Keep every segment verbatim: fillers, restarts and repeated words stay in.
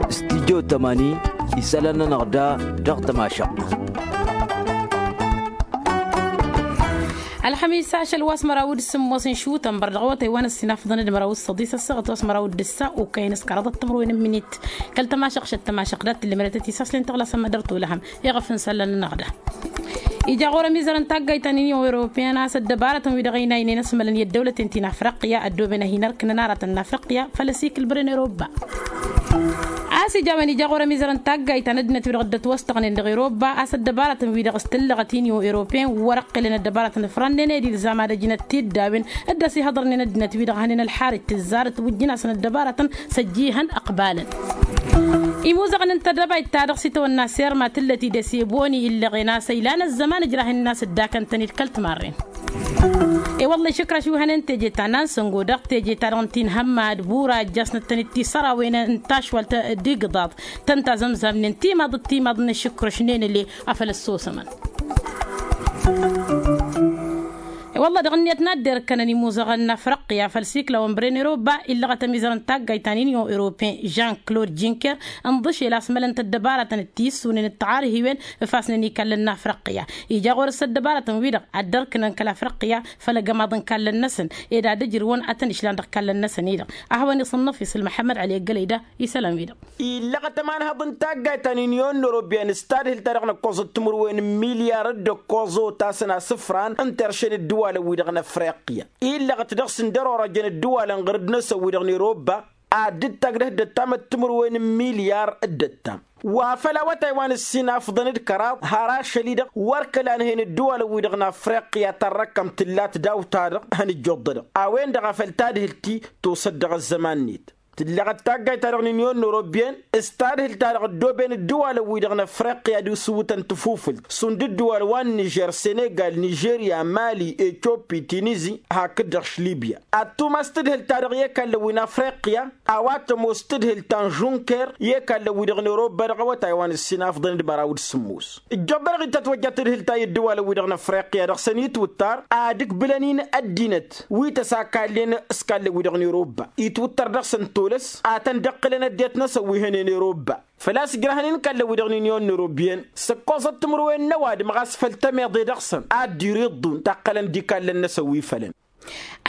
Studyo tămani isălan-nănăɣ da dăɣ-tămašăɣt. Ălxămis ašăl wa s-măraw d-sǝmmos n-šutănbăr dăɣ-awătay wa n-ăssinafḍăn d-măraw d-săḍis ăssaɣăt wa s-măraw d-ǝssa okăyăn s-kăraḍăt timǝrwen n-minit. Kăl-tămašăɣšăt tămašăɣ dat-tǝllǝmrătăt isaslen tăɣlasăm ad-dăr-tolăhăm iɣăf n-isălan-nănăɣ da. Ija ɣur-ămizăr n-taggayt ta n-inyon europeyăn a-s ăddăbarătăn wi-dăɣ ăynaynen ăsmălăn i-ăddăwlăten ti n-afriqya ăddooben ad-hin-ărkǝnăn aratăn n-afriqya făll-asikǝl bărăn europa. A-s ija a-wen ija ɣur-ămizăr n-taggayt ta n-ăddinăt wi-dăɣ dd-ătwăstăɣnen dăɣ-europa a-s ăddăbarătăn wi-dăɣ s-tǝllăɣăt inyon europeyăn wăr-ǝqqǝlăn ăddăbarătăn ǝfrănnen ed ilzam ad-ăjnăt tiddawen dd-ăsihăḍărnen ăddinăt wi-dăɣ hănen ălxarǝj tǝzzarăt wǝjjǝn-asăn ăddăbarătăn s-ăjjihăn ăqbalăn. Imuzăɣăn n-tăddăbayt-ta-dăɣ s-itawănna serma tǝllăt-dd s-eboni illăɣen a-s ăylan ăzzăman ǝjrahen-in a-s dd-akăn-tăn-dd kăl-timarren. E-wălla išǝkrăš wi hănen teje ta n-ansăngo dăɣ-teje-ta-dăɣ n-tinhămma d-bura ăjjasnăt-tăn-dd tisărawen n-tašwalt d-igǝḍaḍ tăn-tazămzamnen timaḍ d-timaḍ n-ašǝkrăš n-enăle. Afăl ăssosămăn. E-wălla dăɣ-net n-ad-derkănăn imuzăɣăn n-afrăqqǝya făll-siklawăn bren eroba illăɣăt ămizăr n-taggayt ta n-inyon europen jean claude jinker ǝnḍǝšel a-s mălăn-t ăddăbaratăn d-tissunen d-taɣarhiwen ǝfasnen ikallăn n-afrăqqǝya. Ija ɣur-s ăddăbaratăn-wi-dăɣ ad-dărkǝnăn kăl-afrăqqǝya făll-agămaḍ n-ikallăn-năsăn ed ad-ǝjrǝwăn ad-tăn-išlan dăɣ-ikallăn-năsăn-i-dăɣ. Ad-hawăn-iṣǝnnăf isǝl măḥămmăd ăli ăggălăy da isălan-wi-dăɣ. Illăɣăt ămanhăḍ n-taggayt ta n-inyon n-orobyan s-tadhǝlt-ta-dăɣ n-ǝkkoẓăt timǝrwen n-milyar d-ǝkkoẓ otasăn asǝfran n-terše n-ǝddǝwalăn-wi-dăɣ n-afriqya. Illăɣăt dăɣ-sǝndărorăjăn ǝddǝwalăn ɣur-dd-năsăn-wi-dăɣ n-eroba ad-dd-tagdăh dd-ăttam d-timǝrwen n-milyar d-ăttam wa făl awătay wa n-ǝssin afḍăn d-kăraḍ har ašăl-i-dăɣ wăr kăla ănhăyăn ǝddǝwalăn-wi-dăɣ n-afriqya ta n-răkkăm tǝllat daw-ta-dăɣ. Hăn ǝjjuḍădăɣ a-wen-dăɣ a făl tadhǝlt-i tosăt dăɣ-ăzzăman-net. Tǝlleɣăt taggayt-ta-dăɣ n-inyon n-orobyen s-tadhǝlt-ta-dăɣ ăddooben ǝddǝwalăn-wi-dăɣ n-afriqya d-isǝwwǝtăn tǝfufǝlt šund ǝddǝwal wa n-nižer senegal nižerya mali etioppi tinizi hakd-dăɣ š-libya. Ad-tumas tadhǝlt-ta-dăɣ i-ekallăn wi n-afriqya a-wa tămoos tadhǝlt ta n-žunker i-ekallăn-wi-dăɣ n-eroba dăɣ-awătay wa n-ǝssin afḍăn d-măraw d-sǝmmos. Ǝjjăḍ-dăɣ-i tătwăjja tadhǝlt ta i-ǝddǝwalăn-wi-dăɣ n-afriqya dăɣ-săn itwǝttar ad-ǝkbǝlăn-in ăddinăt wi tăsakallen s-kallăn-wi-dăɣ n-eroba itwǝttăr dăɣ-săn tolăs. Ad-tăn-dd-ǝqqǝlăn ăddinăt-năsăn wi hănen eroba făl-a-s ǝjrăhăn-in kallăn-wi-dăɣ n-inyon n-orobyen s-ǝkkoẓăt timǝrwen n-ăwadǝm ɣas făll-tămeḍe dăɣ-săn ad-dd-iriḍḍun taqqălăn d-ikallăn-năsăn wi fălăn.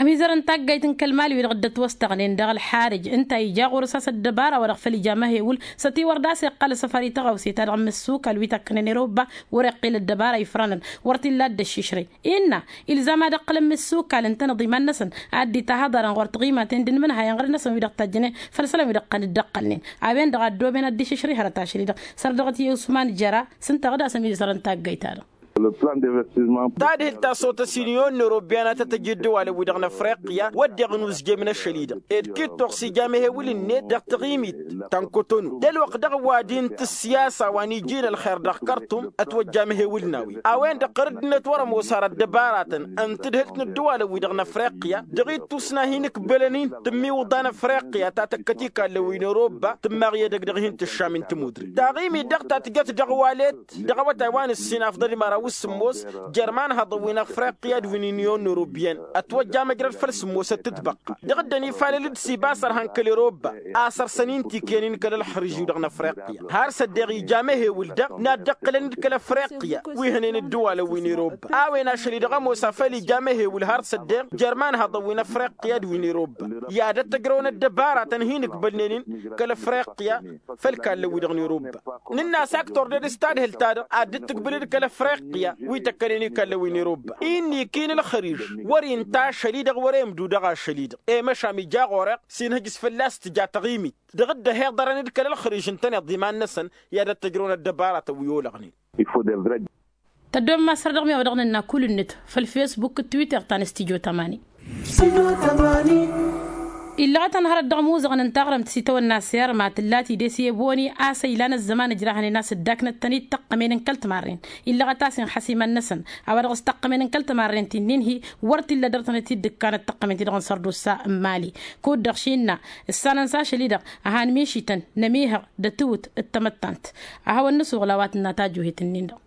Ămizăr n-taggayt n-kăl-mali wi-dăɣ dd-ătwăstăɣnen dăɣ-ălxarǝj ǝnta ija ɣur-s a-s ăddăbara wa dăɣ-făl ija măhewǝl s-ătiwăr d-a-s iqqal s-afăr i-tăɣawse ta dăɣ-imǝssukal wi tăkkănen eroba wăr-iqqǝl ăddăbara ifrănăn wăr t-illa dd-ăššišrăy. Innă ilzam ad-ǝqqǝlăn imǝssukal ǝntăneḍ iman-năsăn ad-dd-itahăḍărăn ɣur-tiɣimaten d-inmǝnhayăn ɣur-năsăn wi-dăɣ tajjănen făll-isălan wi-dăɣ tăn-dd-ăqqălnen. A-wen-dăɣ a ăddooben ad-dd-išǝšrǝy hărăt ašăl-i-dăɣ săr dăɣ-t i-usman jăra s-ǝnta ɣǝd-asăn izărăn taggayt-ta-dăɣ. Tadhilt ta s-otăs inyon n-orobyan a tăt-ăj ǝddǝwalăn-wi-dăɣ n-afriqya wădden n-uzjem n-ašăl-i-dăɣ ed kit-toɣ s-ija amehewǝl-net dăɣ-taɣimit ta n-kotonu d-ălwăqq dăɣ-ăwadǝy n-tǝssiyasa wa n-iji n-ălxer dăɣ-kărtum. Ătwăjja amehewǝl n-a-wen a-wen-dăɣ ɣur-ăddinăt wăr-ămoos har ăddăbaratăn n-tadhǝlt n-ǝddǝwalăn-wi-dăɣ n-afriqya dăɣ-ittus n-ad-hin-ǝkbǝlăn-in tǝmmiwǝḍa n-afriqya ta tăkkăt ikallăn wi n-eroba tǝmmaɣ i-edăgg dăɣ-hin-tǝššam n-tămudre taɣimit-dăɣ ta tǝjăt dăɣ-walet dăɣ-awătay wa n-ǝssin afḍăl i-măraw s-sǝmmos jer-imanhăḍăn wi n-afriqya d-wi n-inyon n-orobyen. Ătwăjja amăjrăd făll-sǝmmosăt d-tibăqqa dăɣ-dd-ănifalăl d-sibas ărhan kăl-eroba a săr-săn intikăyăn-in kăl-ălxărǝž-wi-dăɣ n-afriqya har s-ăddeɣ ija amehewǝl-dăɣ n-ad-dd-ǝqqǝlăn d-kăl-ăf wi hănen ǝddǝwalăn wi n-eroba a-wen ašăl-i-dăɣ ămoos afăl ija amehewǝl har s-ăddeɣ jer-imanhăḍăn wi n-afriqya d-wi n-eroba i-ad-ăttăjrăwăn ăddăbaratăn hin-ǝkbălnen-in kăl-afriqya făll-ikallăn-wi-dăɣ n-eroba. Nǝnn'-as aktor ded s-tadhǝlt-ta-dăɣ ad-dd-tǝkbǝl d-kăl-afriqya wi tăkkănen ikallăn wi n-eroba-i n-iki n-ălxărij wăr-inta ašăl-i-dăɣ wăr-e ǝmdudăɣ ašăl-i-dăɣ i-măšam ija ɣur-eɣ s-inhǝj s-fălla-s tǝja taɣimit dăɣ-dd-ăhiḍărăn d-kăl-ălxărij ǝntăneḍ iman-năsăn i-ad-ăttăjrăwăn ăddăbaratăn wi olăɣnen. Tăddoom ma săr dăɣ-mi a-wa dăɣ-nănna kull-net făll-fesbuk d-twitter ta n-stijo tămani. Illăɣăt-anăɣ hărăt dăɣ-imuzăɣăn n-taɣrǝmt s-itawănna serma tǝlla tidǝs i-eboni a-s ăylan ăzzăman ǝjrahănen a-s dd-aknăt-tăn-dd tăqqămen n-kăl-timarren. Illăɣăt-as inxăs iman-năsăn a-wa dăɣ-s tăqqămen n-kăl-timarren ti n-inhi wăr t-illa dăr-tănăt-dd-ǝkkanăt tăqqămen-ti-dăɣ n-sărdusa n-imali. Kud-dăɣ šinna ǝssanăn s-ašăl-i-dăɣ a han mišităn n-ămihăɣ d-ătwǝt d-tamăttant. A hawăn-nǝsuɣǝl a-wa tǝnna tajuhet-ǝnnin-dăɣ.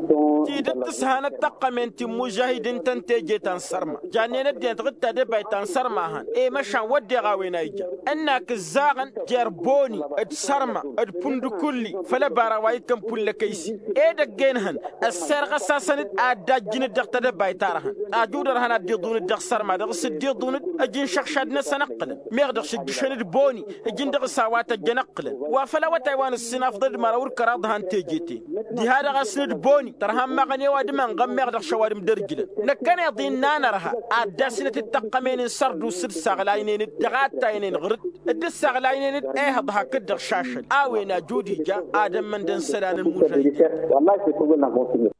Tidǝt tǝshanăt tăqqămen ti n-imužahidin ta n-teje ta n-sărma jannen ăddinăt ɣǝd tadăbayt ta n-sărma hăn i-măšan wădden a-wen a ija ǝnnak ǝzzaɣăn jer-boni d-sărma d-pundukulli făll-ăbara wa ittăn pullăkăysi. Edăgg-en hăn ăsserɣăs-asăn-dd ad-dd-ajjǝn-dd dăɣ-tadăbayt-ta-dăɣ hăn. Ajudăr hăn ad-dd-iḍunǝd dăɣ-sărma dăɣ-s dd-iḍunǝd ǝjǝn šăɣšad-năsăn ǝqqǝlăn meɣ dăɣ-s ǝjjǝšăn-dd boni ǝjǝn dăɣ-s a-wa tăjjăn ǝqqǝlăn wa făll-awătay wa n-ǝssinafḍăd măraw d-kăraḍ hăn teje-ten. Diha-dăɣ a-s n-dd-boni tărha n-imaɣăn i-ăwadǝm ănɣămmeɣ dăɣ-išăwadǝm d-ărjǝlăn. Năkkăneḍ-i n-nanărha ad-dd-asnăt d-taqqămen n-sărdu s-dd-saɣlaynen d-dăɣ-attaynen ɣǝr-dd dd-ǝssaɣlaynen ehăḍ hakd-dăɣ šašăl a-wen ajud ija ad-ămmăn d-ănsălan n-imužahidin.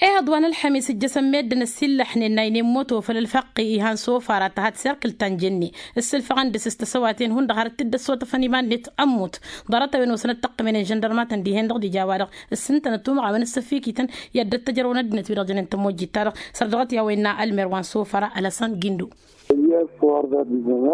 Ehăḍ wa n-ălxămis ǝjjăsăn meddǝn ăssillăxnen n-aynen moto făll-ălfăqqi ihan sofara ta had-serkǝl ta n-jenne ǝssǝlfăɣăn dăr-s s-tăsăwaten hundăɣ har t-dd-ăssotăfăn iman-net. Ămmut ḍarăt-a-wen osăn ăttăqqǝmenen žăndărmatăn dihen-dăɣ d-ija a-wa-dăɣ ǝssǝntănăt umăɣ a-wen ăssăfikităn i-ad-dd-tăjrăwăn ăddinăt wi-dăɣ jănen tămojjit-ta-dăɣ. Sărdăɣăt i-a-wa innă ălmer wa n-sofăra ălăsăn gindo.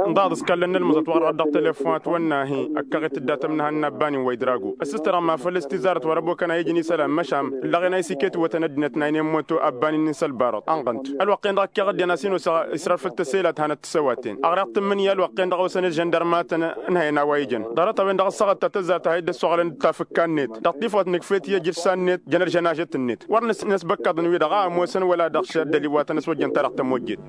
Ǝnḍaḍ s-kallăn n-ălmǝẓăt wa dăɣ-dăɣ telefon a t-wănnahi ăkkaɣ-i tǝddatăm n-ehăn n-abban-in wa idrago ăssistărăɣ ma făl s-tizarăt wa răbokăn a ijăn isălan măšan ǝllăɣen a isǝket iwwătăn ăddinăt n-aynen moto abban-in n-isălbarăḍ ănɣănt. Ălwăqq-en-dăɣ ăkkeɣ ăddinăt a-s hin-osăɣ isrălfăl tăselat hanăt-t s-ăwaten ăɣreɣ-t ǝmmǝnǝya ălwăqq-en-dăɣ a osăn ălžăndărmatăn n-hăyăn a-wa ijăn. Ḍarăt-a-wen-dăɣ ăssaɣăt ta tăzzar ta ha idd-ăssoɣălăn d-tafǝkka-net dăɣ-tifawt nǝkfet i-ajǝssa-net jăn-ălžănažăt-net wăr năsbăkkăḍăn-wi-dăɣ a ămoosăn wăla dăɣ-s ăddăliwatăn s-ojjăn-ta-dăɣ tămojjet.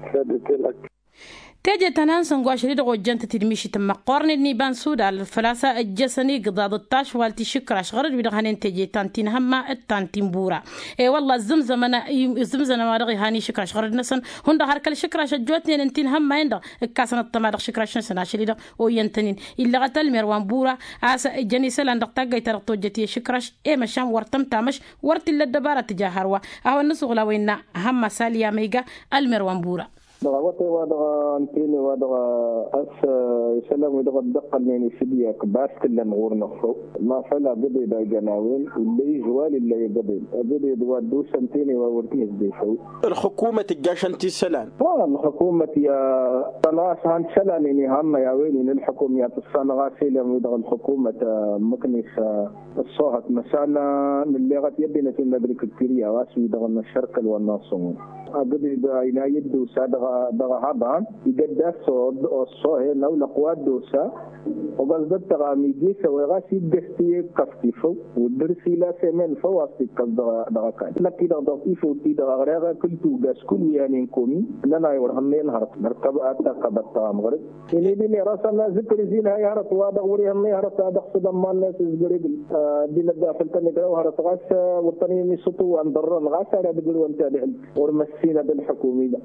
Teje ta n-ansǝngo ašăl-i-dăɣ ojjăn-tăt-dd mišităn măqqoornen n-iba n-sudal făl-a-s ăjjăsăn igǝḍaḍ d-tašwalt išǝkraš ɣărăd-wi-dăɣ hănen teje ta n-tinhămma d-ta n-tinbura. E-wălla ǝzzǝmzămăn ǝzzǝmzămăn wa dăɣ-ihan išǝkraš ɣărăd-năsăn hundăɣ har kăl-išǝkraš ăjjootnen n-tinhămma-en-dăɣ ǝkkasăn ăṭṭăma dăɣ-išǝkraš-năsăn ašăl-i-dăɣ. Oyyăn-tăn-in illăɣăt ălmer wa n-bura a-s ǝjjăn isălan dăɣ-taggayt-ta-dăɣ tojjăt i-išǝkraš i-măšan wăr tăm-tamăš wăr t-illa ăddăbara tǝja hărwa. A hawăn-nǝsuɣǝl a-wa innă hămma saliya ma iga ălmer wa n-bura. Dăɣ-awătay-wa-dăɣ ǝnta-en-i-wa-dăɣ a-s isălan-wi-dăɣ dd-ăqqălnen i-sǝdyak bas t-ǝllăn ɣur-năfrăw ma făl agǝḍed a ijăn a-wen illa izwal illa igǝḍed agǝḍed wa dd-osăn ǝnta-en-i wa wăr t-nǝsdefăw. Ălxǝkumăt ǝjjašăn-t isălan. Ălxǝkumăt i-a tăn-ɣas han isălan-en ihannăy a-wen-in ǝlxǝkum i-ad-tǝssanăɣ a-s elăn-wi-dăɣ ălxǝkumăt ǝmmǝknet ăṣṣoohăt măsana nǝlleɣăt i-ăddinăt n-agrikǝltǝrya ɣas wi-dăɣ n-ašărkăl wa n-asǝnɣu agǝḍ-dd a ina i-dd-osa dăɣ-ehăḍan. Igădd a-s ăṣṣooh-en awlăq wa dd-osa oɣăẓ d-ăttăɣam iji s-a-wa ɣas iggăs ti-ikkăẓ tifăw wăr dăr-s ila s-emen făw a-s tikkăẓ dăɣ-ăkall năkk-i-dăɣ dăɣ-tifăw-ti-dăɣ ăɣreɣ kǝltug a-s kullu i-anen komi. Nănay wăr hannăy ănhărăt nărkăb ad-takkăḍ ăttăɣam ɣăr-dd. Inidin irasăn azǝkrǝz-in hay hărăt wa dăɣ-wăr ihănnăy hărăt a dăɣ-sădămman n-asǝzgărăgǝl. Ăddinăt daɣ făl tăn-igrăw hărăt ɣas wăr tăn-inisǝṭu wa n-dărrăn ɣas ar ad-ǝgrǝwăn tadhǝlt wăr măssinăt ălxǝkum-i-dăɣ.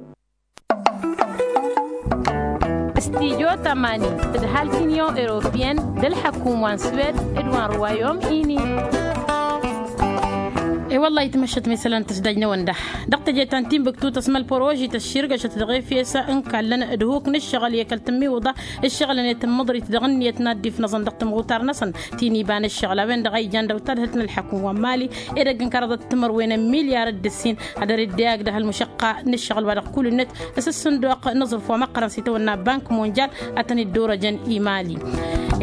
Studyo tămani tǝdhal tinyon europiyăn d-ălxǝkum wa n-swed d-wa n-ruwayom-ini. E-wălla-hi tǝmăššăt ma isălan tǝsdajnăwăn da dăɣ-teje ta n-tinbǝktu tăsmăl păroži tăšširgăšăt dăɣ-efes n-kallăn d-huk n-ǝššăɣǝl i-kăl-tǝmmiwǝḍa ǝššăɣǝlăn i-tǝmmǝḍrit dăɣ-ǝnniyăt n-ad-dd-ifnăẓăn dăɣ-tǝmɣutar-năsăn. Tiniba n-ǝššăɣǝl a-wen-dăɣ a ijan dăɣ-tadhǝlt n-ălḥăkum wa n-mali edăgg n-kăraḍăt timărwen n-milyar d-ǝssin ad-dăr-dd-eyag dăɣ-ălmušăqqa n-ǝššăɣǝl wa dăɣ-kul-net s-ǝssǝnduq n-aẓrǝf wa măqqărăn s-itawănna bank monjal. A tăn-dd-orăjăn imali.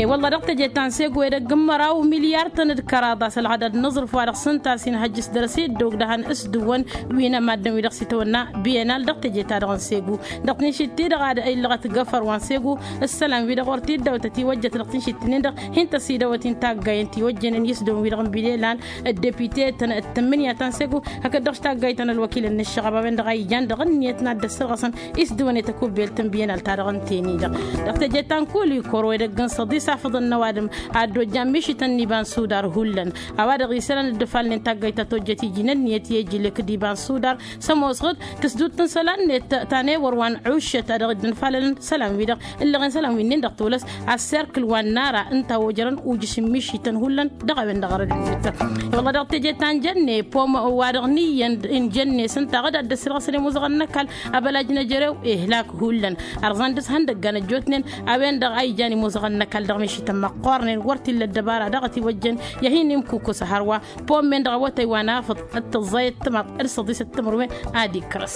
E-wălla dăɣ-teje ta n-segu edăgg n-măraw milyar-tăn d-kăraḍ a-s ălɣădad n-aẓrǝf wa dăɣ-s ǝnta a-s inhăjjǝs dăr-s i-dd-ogdăhăn s-dăwwăn wi n-ămaddǝn-wi-dăɣ s-itawănna biyenal dăɣ-teje-ta-dăɣ n-segu. Dăɣ-tinšitti-dăɣ ad-illăɣăt găfăr wa n-segu ǝssălan-wi-dăɣ wăr t-dd-awătăt iwăjjăt dăɣ-tinšitti-nin-dăɣ hin-tăsidăwăt-in taggayen tiwăjjănen i-s dăwwăn-wi-dăɣ n-biyenal. D-depite-tăn d-tǝmmǝnǝya ta n-segu hakd-dăɣ s-taggayt ta n-ălwăkilăn n-ǝššăɣăb a-wen-dăɣ a ijan dăɣ-ǝnniyăt n-ad-dd-ăssărɣăsăn i-s dăwănet ăkubbelt n-biyenal-ta-dăɣ ǝnta-en-i-dăɣ. Dăɣ-teje ta n-kulikoro edăgg n-săḍis afǝḍăn n-ăwadǝm ad-dd-ojjan mišităn n-iba n-sudar hullan. A-wa-dăɣ isălan dd-ǝfalnen taggayt ta tojjăt iji n-ǝnniyăt i-ejǝlek d-iba n-sudar s-ămoosăɣ-dd tǝsdut n-isălan-net ta n-ewăr wa n-ăuššăt a dăɣ-dd-ǝnfalălăn isălan-wi-dăɣ. Ǝllăɣen isălan wi-nin-dăɣ tolăs asserkǝl wa n-nara ǝnta a ojărăn ujǝš n-mišităn hullan dăɣ-a-wen-dăɣ ărăd-net. Wălla dăɣ-teje ta n-jănne pom wa dăɣ-niyyăn n-jănne s-ǝnta aɣǝd ad-dd-ăssirɣăsăn imuzăɣăn n-ăkall. Abălaj n-ejărew ihlak hullan ărẓan dăr-s ihăndăggan ăjjootnen. A-wen-dăɣ a ijan imuzăɣăn n-ăkall dăɣ-mišităn măqqoornen wăr t-illa ăddăbara dăɣ-ătiwăjjăn i-ad-hin-imkukus hărwa. Pom-en-dăɣ awătay wa n-afǝḍ d-tǝẓẓay d-timăḍ d-săḍis d-timǝrwen ad-ikkrăs.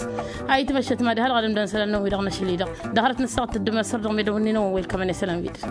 A itmăššăt ma d-ihălɣădăm d-ansălan-năwăn-wi-dăɣ n-ašăl-i-dăɣ dăɣ-hărăt n-ăssaɣăt d-ămăsăr dăɣ-medăwănni-năwăn wa ilkămăn isălan-wi-dăɣ.